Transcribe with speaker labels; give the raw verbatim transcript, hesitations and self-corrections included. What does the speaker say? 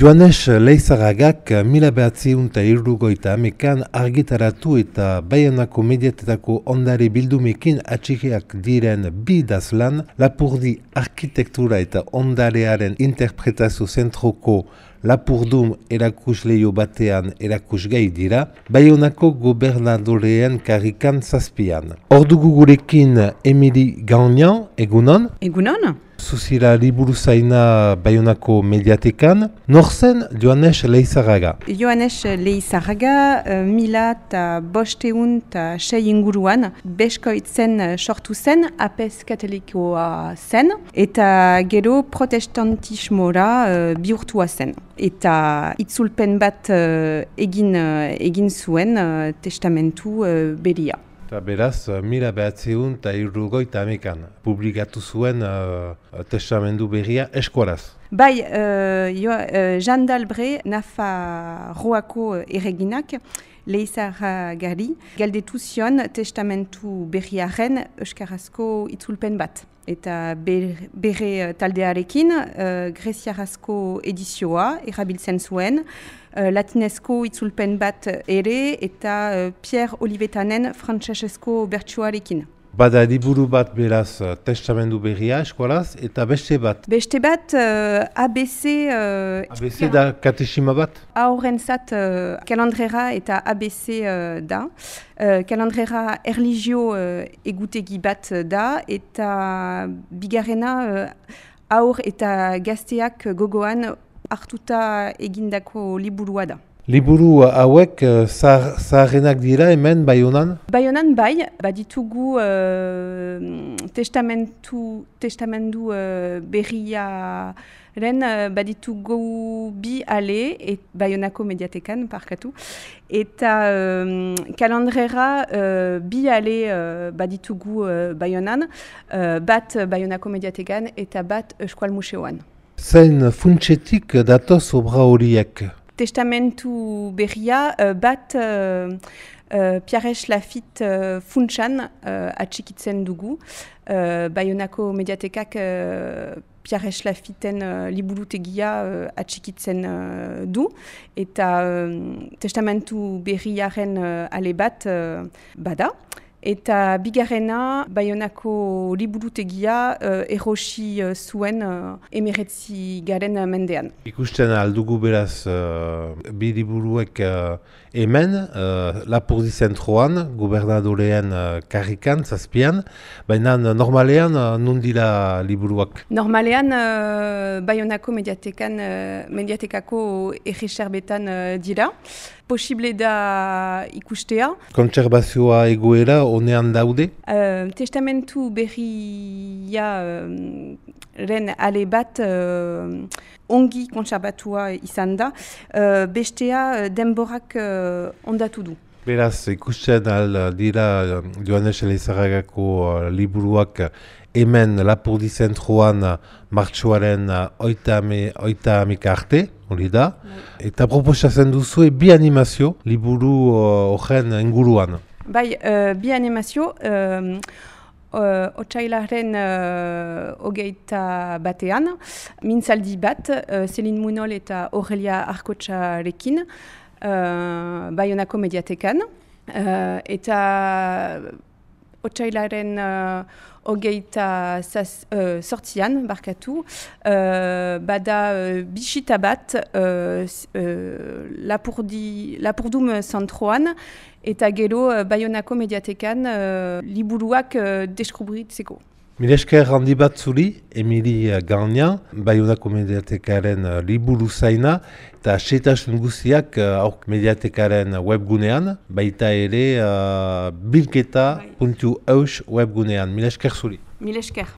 Speaker 1: Joanes Leizarragak mila behatziehun eta hirurogeita hamekan argitaratu eta Baionako mediatetako ondare bildumekin atxikiak diren bi idazlan, Lapurdi arkitektura eta ondarearen interpretazio zentroko Lapurdum erakusleio batean erakusgai dira, Baionako gobernadoreen karrikan zazpian. Ordugu gurekin Emili Gagnan, egunon?
Speaker 2: Egunon?
Speaker 1: Zuzira liburuzaina Baionako mediatekan, nor zen Joanes Leizarraga?
Speaker 2: Joanes Leizarraga uh, mila eta bosteun eta sei inguruan beskoitzen uh, sortu zen, apez katolikoa zen, eta gero protestantismora uh, bihurtua zen. Eta itzulpen bat uh, egin, uh, egin zuen uh, testamentu uh, beria.
Speaker 1: Eta beraz, mila behatziehun eta hirurogeita hamekan publikatu zuen uh, testamendu berria eskualaz.
Speaker 2: Bai, uh, jo, uh, Jean d'Albret, Nafarroako erreginak, Leizarragari, galdetu zion testamentu berriaren euskarazko itzulpen bat. Eta bere, bere taldearekin, uh, greziarazko edizioa erabiltzen zuen, uh, latinezko itzulpen bat ere eta uh, Pierre Olivetanen frantsesezko bertsuarekin.
Speaker 1: Bada liburu bat beraz testamendu berria eskualaz eta beste bat.
Speaker 2: Beste bat uh, A B C... Uh,
Speaker 1: A B C da katesima bat?
Speaker 2: Aurrentzat uh, kalandrera eta A B C uh, da. Uh, kalandrera erlijio uh, egutegi bat da eta bigarrena uh, aur eta gazteak gogoan hartuta egindako liburua da.
Speaker 1: Liburu hauek zaharrenak dira hemen Baionan?
Speaker 2: Baionan bai, baditugu uh, testamentu, testamendu uh, berriaren uh, baditugu bi ale, et Baionako mediatekan, parkatu, eta um, kalandrera uh, bi ale uh, baditugu uh, Baionan, uh, bat Baionako mediatekan eta bat Eskual Museoan.
Speaker 1: Zein funtsetik datoz obra horiek?
Speaker 2: Testamentu berria uh, bat uh, uh, Pierres Lafitte uh, funtsan uh, atxikitzen dugu. Uh, Baionako mediatekak uh, Pierres Lafitten uh, liburutegia uh, atxikitzen uh, du. Eta uh, testamentu berriaren uh, ale bat uh, bada. Eta bigarrena, Baionako liburutegia uh, erosi uh, zuen uh, emeretzi garen mendean.
Speaker 1: Ikusten aldugu beraz uh, bi liburuek uh, hemen, uh, Lapurdi zentroan, gobernadorean uh, karrikan, zazpian, baina normalean uh, nun dira liburuak?
Speaker 2: Normalean, uh, Baionako mediatekan, uh, mediatekako erreserbetan uh, dira. Posible da ikustea. Kontserbazioa
Speaker 1: egoera honean daude?
Speaker 2: Uh, testamentu berria uh, ren ale bat uh, ongi kontserbatua izan da, uh, bestea denborak uh, ondatu du.
Speaker 1: Beraz, ikusten al dira Joanes Leizarragako uh, liburuak hemen Lapurdi zentroan martxoaren oita hamika arte, hori da, eta proposatzen duzu bi animazio liburu horren uh, inguruan.
Speaker 2: Bai, uh, bi animazio, uh, uh, otsailaren uh, hogeita batean, mintzaldi bat, uh, Céline Munol eta Aurelia Arkotxarekin, uh, Baionako mediatekan, uh, eta otsailaren uh, hogeita uh, sortzian, barkatu, uh, bada uh, bisita bat uh, uh, Lapurdi, Lapurdum zentroan, eta gero uh, Baionako mediatekan uh, liburuak uh, deskubritzeko.
Speaker 1: Milesker handi bat zuri, Emili Gagnan, Baionako mediatekaren uh, liburu zaina, eta setasun guziak uh, mediatekaren webgunean, baita ere uh, bilketa puntu eus webgunean. Milesker zuri.
Speaker 2: Milesker.